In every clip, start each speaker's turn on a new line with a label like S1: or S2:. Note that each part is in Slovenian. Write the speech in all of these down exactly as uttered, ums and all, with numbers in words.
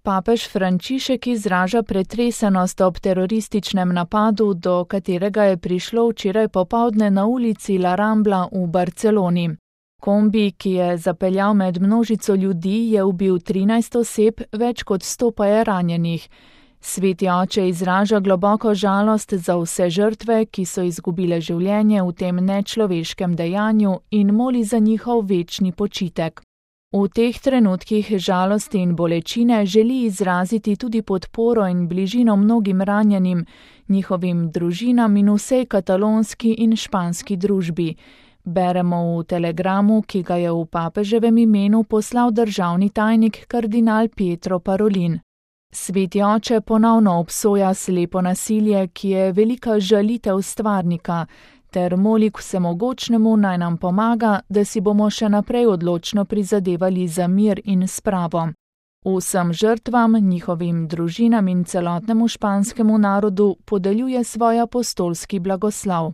S1: Papež Frančišek izraža pretresenost ob terorističnem napadu, do katerega je prišlo včeraj popoldne na ulici La Rambla v Barceloni. Kombi, ki je zapeljal med množico ljudi, je ubil trinajst oseb, več kot sto pa je ranjenih. Sveti oče izraža globoko žalost za vse žrtve, ki so izgubile življenje v tem nečloveškem dejanju in moli za njihov večni počitek. V teh trenutkih žalosti in bolečine želi izraziti tudi podporo in bližino mnogim ranjenim, njihovim družinam in vsej katalonski in španski družbi. Beremo v telegramu, ki ga je v papeževem imenu poslal državni tajnik kardinal Pietro Parolin. Sveti oče ponovno obsoja slepo nasilje, ki je velika žalitev stvarnika, ter moli k vsemogočnemu naj nam pomaga, da si bomo še naprej odločno prizadevali za mir in spravo. Vsem žrtvam, njihovim družinam in celotnemu španskemu narodu podeljuje svoj apostolski blagoslov.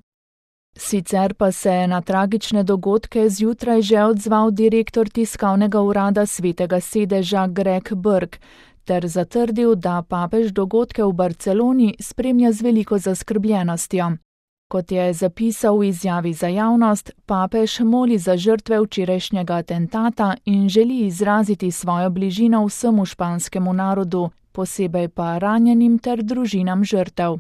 S1: Sicer pa se je na tragične dogodke zjutraj že odzval direktor tiskovnega urada Svetega sedeža Greg Burke, ter zatrdil, da papež dogodke v Barceloni spremlja z veliko zaskrbljenostjo. Kot je zapisal v izjavi za javnost, papež moli za žrtve včerajšnjega atentata in želi izraziti svojo bližino vsemu španskemu narodu, posebej pa ranjenim ter družinam žrtev.